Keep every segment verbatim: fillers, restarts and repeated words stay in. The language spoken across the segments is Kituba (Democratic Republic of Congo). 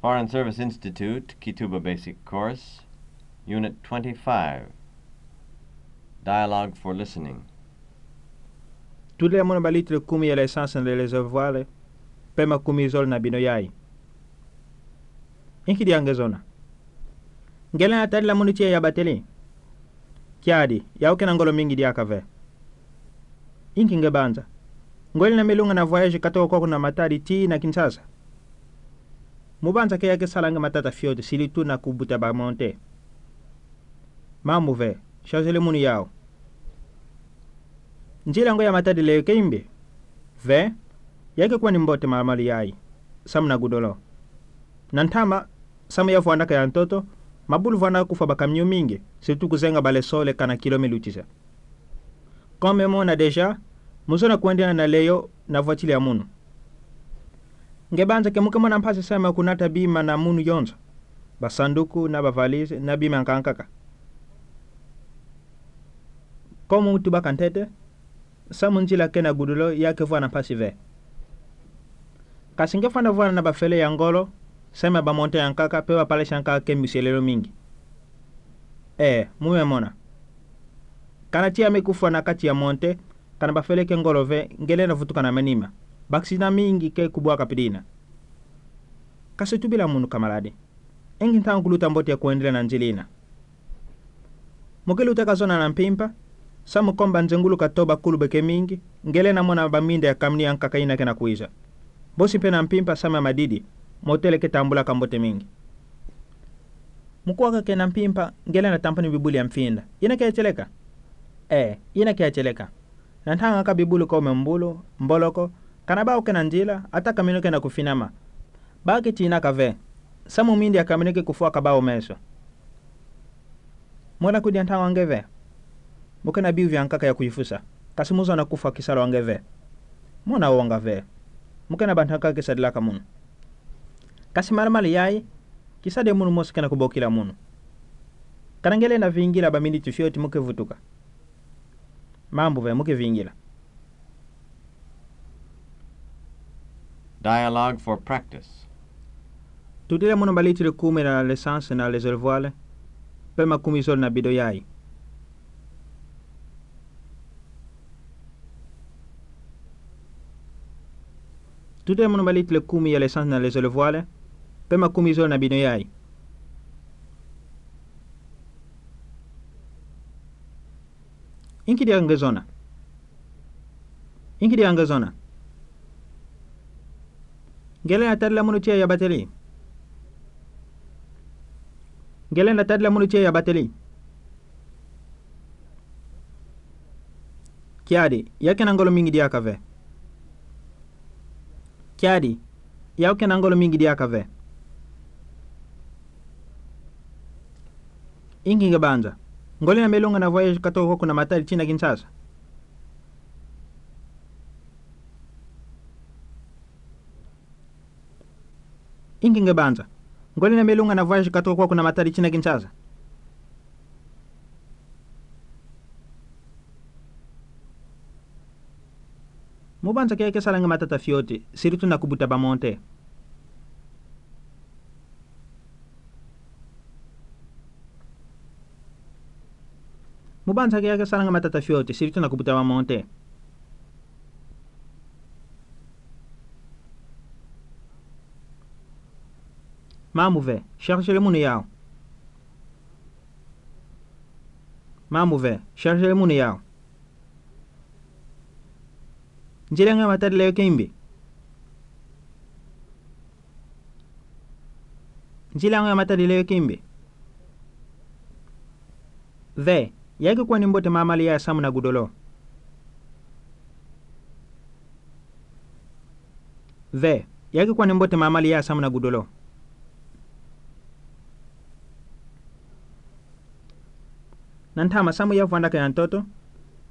Foreign Service Institute, Kituba Basic Course, Unit twenty-five. Dialogue for Listening. Tutila mono ba litile kumi ya l'essence na le gasoil, pema kumi zole na bino yayi. Inki dia nge zona? Ngelena tadila mono tiya ya bateli? Kiadi, yaku kena ngolo mingi diaka ve. Inki nge banza? Ngoli na milunga na voyage katoka kwaku na matadi tii na Kinshasa. Mo banza ke yake sala nge matata fioti, sirito na kubuta ba monte. Mamu ve, chargele mono yawu. Nzila ngo ya matadi leyo ke imbi? Ve, yake kwani mbote mamalu yayi, samu na gudolo. Na ntama, samu ya vwanaka ya ntoto, mabulu vwana kufwa ba camion mingi, sirito kuzenga ba le sole kana kilo mi lutisa. Comme mo mona déjà, mo zona kwendela na leyo na voiture ya mono. Nge banza ke mo ke mona mpasi samu ya kunata bima na mono yonso, ba sanduku, na ba valise, na bima nkankaka. Comme mo tubaka ntete, samu nzila ke na gudolo yake vwana mpasi ve. Kasi nge fwana vwana na ba fele ya ngolo, samu ya ba monte ya nkaka, pe ba palasi ya nkaka ke mbiselelo mingi. Ee, mo me mona. Kana tiya me kufwa na kati ya monte, kana ba fele ke ngolo ve, ngelena vutuka na manima. Ba accident mingi ke kubwaka pidina. Kasi tubila mono camarade. Inki ntangu kuluta mbote ya kwendela na nzila ina? Mo ke lutaka zona na mpimpa, samu comme ba nzengulu katoba kulu beke mingi, ngelena mona ba minda ya camion ya nkaka ina kena kwiza. Bosi pe na mpimpa samu ya madidi, motele ke tambulaka mbote mingi. Mo kuaka ke na mpimpa, ngelena tampani bibulu ya mfinda. Ina ke ya tieleka? Ee, ina ke ya tieleka. Na ntangaka bibulu comme mbulu, mboloko, kana bawu ke na nzila, ata camion ke na kufinama. Ba ke tinaka ve, samu minda ya camion ke kufwaka bawu meso. Mo na kudi ya ntangu ange ve. Mo ke na biu vya nkaka ya kuyifusa. Kasi mo zona kufwa kisalo ange ve. Mo na wonga ve. Mo ke na ba ntangu ke sadilaka mono. Kasi malamala yayi, kisade mono mosi ke na kubokila mono. Kana ngelena vingila ba miniti fioti mo ke vutuka. Mambu ve, mo ke vingila. Dialogue for practice. Tutila mono ba litile kumi ya l'essence na le gasoil, pema kumi zole na bidon yayi. Tutila mono ba litile kumi ya l'essence na le gasoil, pema kumi zole na bidon yayi. Inki dia nge zona? Inki dia nge zona? Ngelena tadila mono tiya ya bateli? Ngelena tadila mono tiya ya bateli? Kiadi, yaku kena ngolo mingi diaka ve. Kiadi, yaku kena ngolo mingi diaka ve. Inki nge banza? Ngoli na milunga na voyage katoka kwaku na matadi tii na Kinshasa. Inki nge banza? Ngoli na milunga na voyage katoka kwaku na matadi tii na Kinshasa. Mo banza ke yake sala nge matata fioti, sirito na kubuta ba monte. Mo banza ke yake sala nge matata fioti, sirito na kubuta ba monte. Mambu ve, chargele mono yawu. Mambu ve, chargele mono yawu. Nzila ngo ya matadi leyo ke imbi? Nzila ngo ya matadi leyo ke imbi? Ve, yake kwani mbote mamalu yayi samu na gudolo. Ve, yake kwani mbote mamalu yayi samu na gudolo. Na ntama samu ya vwandaka ya ntoto,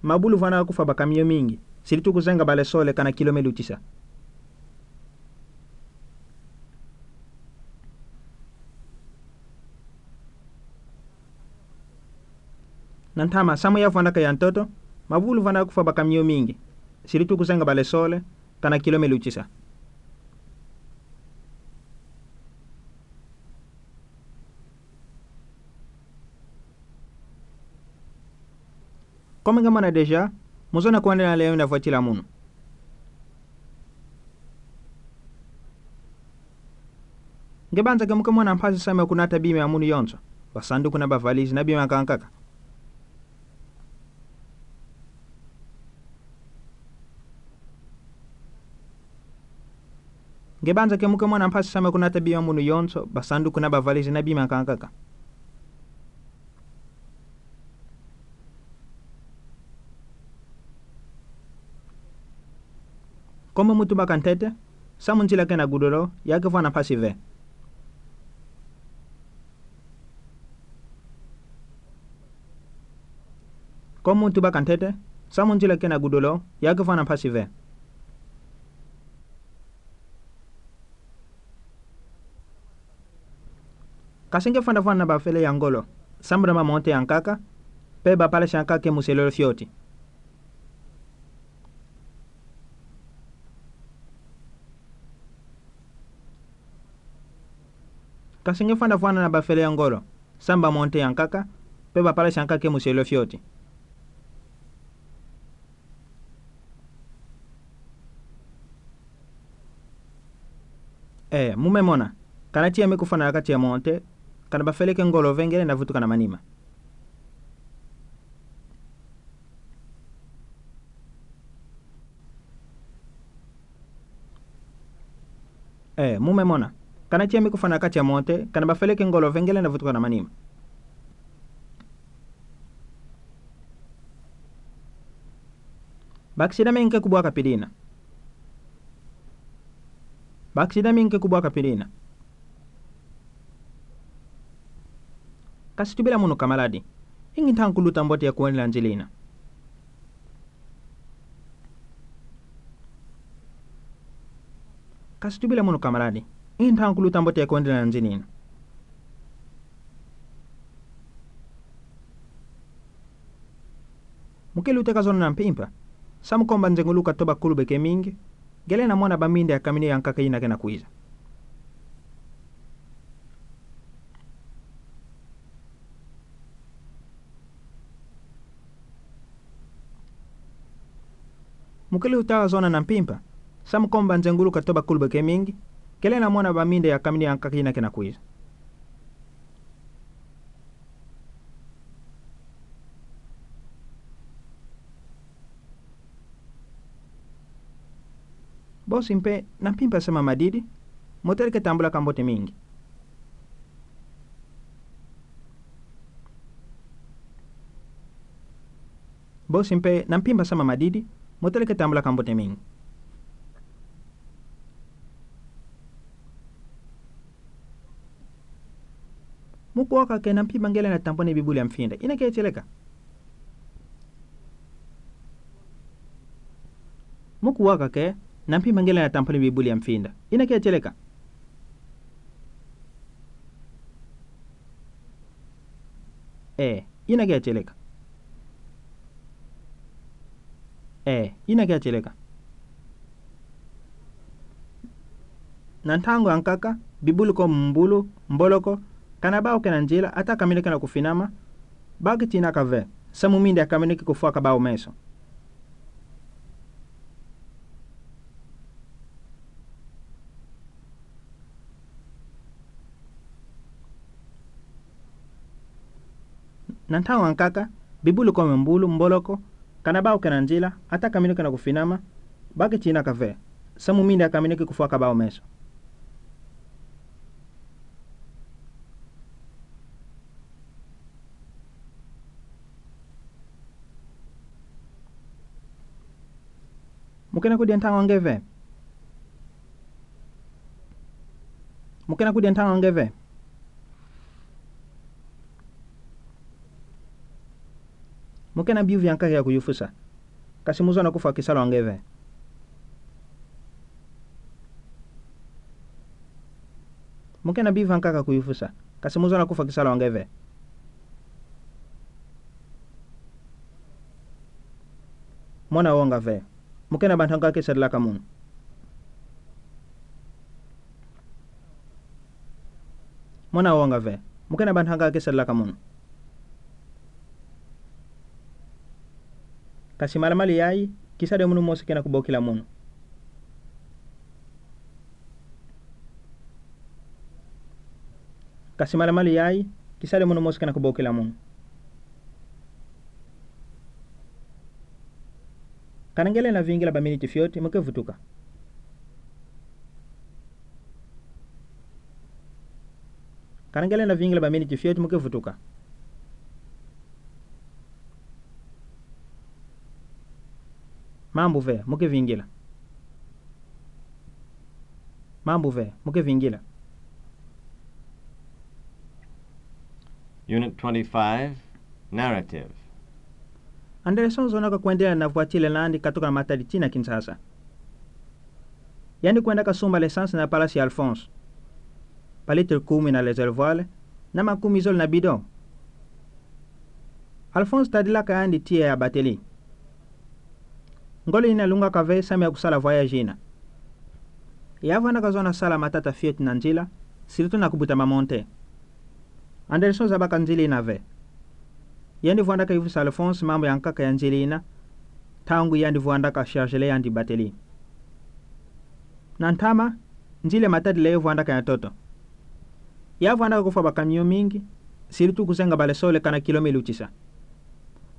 mabulu vwana kufwa ba camion mingi, sirito kuzenga ba le sole kana kilo me lutisa. Na ntama samu ya vwandaka ya ntoto, mabulu vwana kufwa ba camion mingi, sirito kuzenga ba le sole, kana kilo me lutisa. Comme nge mona déjà, mozona kuendelea na lewe na voti la munu. Nge banza ke muke mona mpasi samu kunata bima ya munu yonso, ba sanduku na ba valise na bima kankaka. Nge banza ke muke mona mpasi samu kunata bima ya munu yonso, ba sanduku na ba valise na bima kankaka. Comme mutu baka ntete, samu nzila ke na gudolo, ya ke vana mpasi ve. Comme mutu baka ntete, samu nzila ke na gudolo, ya ke vana mpasi ve. Kasi nge fana vana na ba fele ya ngolo, sambura ba monte yankaka, pe ba palasi yankaka ke muselolo fioti. Kasi nge fana vana na ba fele ya ngolo, sambura ba monte yankaka, pe ba palasi yankaka ke muselolo fioti. Ee, mume mona. Kana tia me kufana na katia monte, kana ba fele ke ngolo ve ngele na vutuka na manima. Ee, mume mona. Kana tia me kufana na katia monte, kana ba fele ke ngolo ve ngele na vutuka na manima. Bakisida mi nge kubwaka pidina. Bakisida mi nge kubwaka pidina. Kasi tubila munu kamaladi. Ingi ntangu kuluta mbote ya kuendelea na nzila ina. Kasi tubila munu kamaladi. Ingi ntangu kuluta mbote ya kuendelea na nzila ina. Muke luteka zona na mpimpa. Samu komba nzengulu katoba kulube ke mingi. Ngele na mona ba minde ya kamini yankaka ina ke na kwiza. Muke luteka zona na mpimpa. Samu komba nzengulu katoba kulube ke mingi. Ngele na mona ba minde ya kamini yankaka ina ke na kwiza. Bosi mpe, na mpimpa sama madidi, motele ke tambula ka mbote mingi. Bosi mpe, na mpimpa sama madidi, motele ke tambula ka mbote mingi. Mukuwaka ke na mpimpa ngele na tamponi bibuli ya mfinda. Ina ke tieleka. Mukuwaka ke na mpimpa ngele na tamponi bibuli ya mfinda. Ina ke tieleka. Ee, ina ke tieleka. Ee, ina ke tieleka. Na ntangu yankaka, bibuli ko mbulu, mboloko, kana bao ke na nzila, ata kamini ke na kufinama, baki tina ka ve, samu minde ya kamini ke kufwa ka bao meso. Na ntangu yankaka, bibuli ko mbulu, mboloko, kana bao ke na nzila, ata kamini ke na kufinama, baki tina ka ve, samu minde ya kamini ke kufwa ka bao meso. Muke na kudia ntangu nge ve. Muke na kudia ntangu nge ve. Muke na biyuvi yankaka ya kuyufusa. Kasi muzona kufwa kisalwa nge ve. Muke na biyuvi yankaka kuyufusa. Kasi muzona kufwa kisalwa nge ve. Mona wonga ve. Muke na bantu yankaka ke sadilaka munu. Mona wonga ve. Muke na bantu yankaka ke sadilaka munu. Kasi malamala yayi, kisa de munu mosi kena kubokila munu. Kasi malamala yayi, kisa de munu mosi kena kubokila munu. Kanengele na vingila ba miniti fioti, muke vutuka. Kanengele na vingila ba miniti fioti, muke vutuka. Mambu ve, muke vingila. Mambu ve, muke vingila. Unit twenty-five, Narrative. Anderson zonaka kwendela na voiture nandi katoka na matadi tina Kinshasa. Yandi kwendaka sumba l'essence na palasi ya Alphonse. Ba litre kumi na réservoir, na makumi zole na bidon. Alphonse tadilaka yandi tiya ya batterie. Ngolo ina lungaka ve samu ya kusala voyage ina. Ya vandaka zona sala matata fioti na nzila, surtout na kubuta mamonte. Anderson zabaka nzila ina ve. Yandi vandaka ivusa Alphonse mambu ya nkaka ya nzila ina, ntangu yandi vandaka charger yandi batterie. Na ntama, nzila matadi le vandaka ya ntoto. Ya vandaka kufwa ba camion mingi, surtout kuzenga ba lessons kana kilo mi lutisa.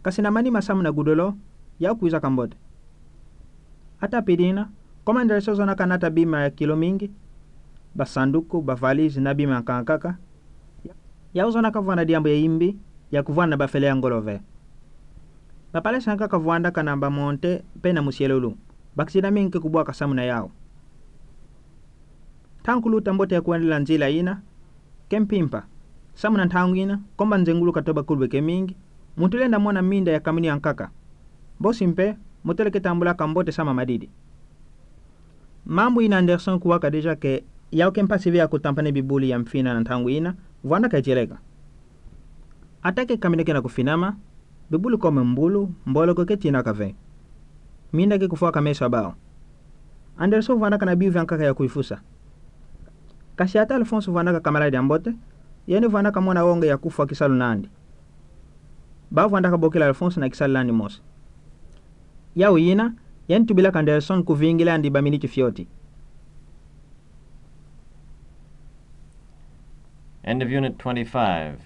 Kasi na manima samu na goudron, ya kwizaka mbote. Ata pidina, comme Anderson zonaka nata bima ya kilo mingi, ba sanduku, ba valise, na bima ya nkaka, yau zonaka vwanda diambu ya imbi, ya kuvwanda na bafele ya ngolo ve. Ba palasi ya nkaka vwandaka na ba monte, pe na musielulu. Ba accident mingi ke kubwaka samu na yau. Ntangu kuluta mbote ya kwendela nzila ina, ke mpimpa. Samu na ntangu ina, comme ba nzengulu katoba kulube ke mingi, muntu lenda mona minda ya camion ya nkaka. Bosi mpe, motele ke tambulaka mbote samu na madidi. Mambu ina Anderson kuwaka déjà ke, yau ke mpasi ve ya kutampana bibulu ya mfina na ntangu ina, vwandaka tieleka. Ata ke camion kena kufinama, bibulu comme mbulu, mboloko ke tinaka ve. Minda ke kufwaka meso ya bau. Anderson vwandaka na biu vya nkaka ya kuifusa. Kasi ata Alphonse vwandaka camarade ya mbote, yandi vwandaka mona wonga ya kufwa kisalu nandi. Bau vwandaka bokila Alphonse na kisalu nandi mosi. Yau ina, yandi tubilaka Anderson kuvingila yandi ba miniti fioti. End of Unit twenty-five.